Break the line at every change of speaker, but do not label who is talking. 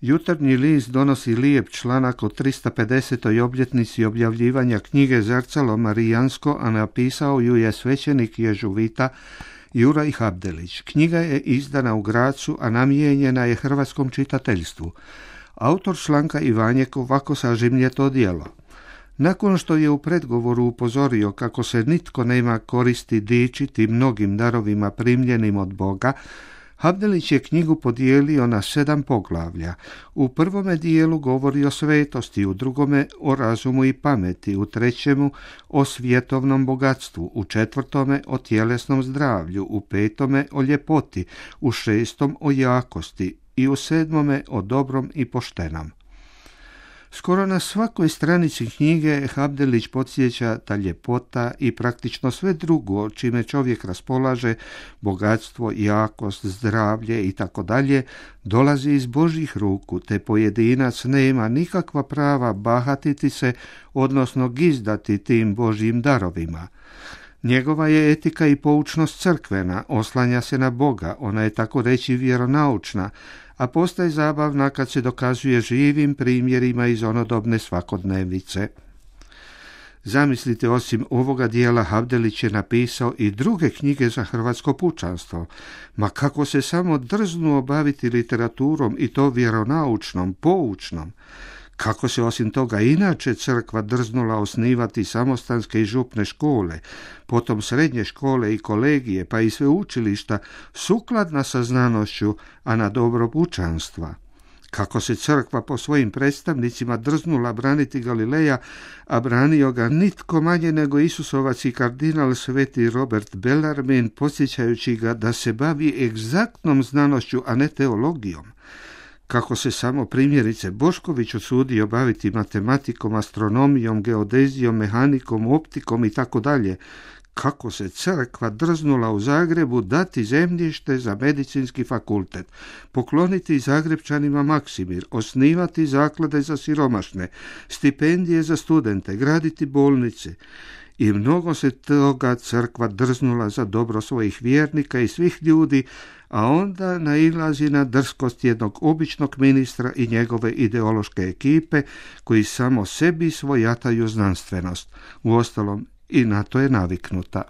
Jutarnji list donosi lijep članak o 350. obljetnici objavljivanja knjige Zrcalo Marijansko, a napisao ju je svećenik ježuvita Juraj Habdelić. Knjiga je izdana u Grazu, a namijenjena je hrvatskom čitateljstvu. Autor članka Ivanjek ovako sažimlje to djelo. Nakon što je u predgovoru upozorio kako se nitko nema koristi dičiti mnogim darovima primljenim od Boga, Habdelić je knjigu podijelio na 7 poglavlja. U prvome dijelu govori o svetosti, u drugome o razumu i pameti, u trećemu o svjetovnom bogatstvu, u četvrtome o tjelesnom zdravlju, u petome o ljepoti, u šestom o jakosti i u 7. o dobrom i poštenom. Skoro na svakoj stranici knjige Habdelić podsjeća da ljepota i praktično sve drugo čime čovjek raspolaže, bogatstvo, jakost, zdravlje i tako dalje, dolazi iz Božjih ruku, te pojedinac nema nikakva prava bahatiti se, odnosno gizdati tim Božjim darovima. Njegova je etika i poučnost crkvena, oslanja se na Boga, ona je tako reći vjeronaučna, a postaje zabavna kad se dokazuje živim primjerima iz onodobne svakodnevice. Zamislite, osim ovoga dijela Habdelić je napisao i druge knjige za hrvatsko pučanstvo. Ma kako se samo drznuo baviti literaturom i to vjeronaučnom, poučnom. Kako se osim toga inače crkva drznula osnivati samostanske i župne škole, potom srednje škole i kolegije, pa i sveučilišta, sukladna sa znanošću, a na dobro pučanstva. Kako se crkva po svojim predstavnicima drznula braniti Galileja, a branio ga nitko manje nego Isusovac i kardinal sveti Robert Bellarmine, podsjećajući ga da se bavi egzaktnom znanošću, a ne teologijom. Kako se samo primjerice Bošković usudio baviti matematikom, astronomijom, geodezijom, mehanikom, optikom i tako dalje. Kako se crkva drznula u Zagrebu dati zemljište za medicinski fakultet, pokloniti Zagrebčanima Maksimir, osnivati zaklade za siromašne, stipendije za studente, graditi bolnice. I mnogo se toga crkva drznula za dobro svojih vjernika i svih ljudi, a onda nailazi na drskost jednog običnog ministra i njegove ideološke ekipe koji samo sebi svojataju znanstvenost. Uostalom, i na to je naviknuta.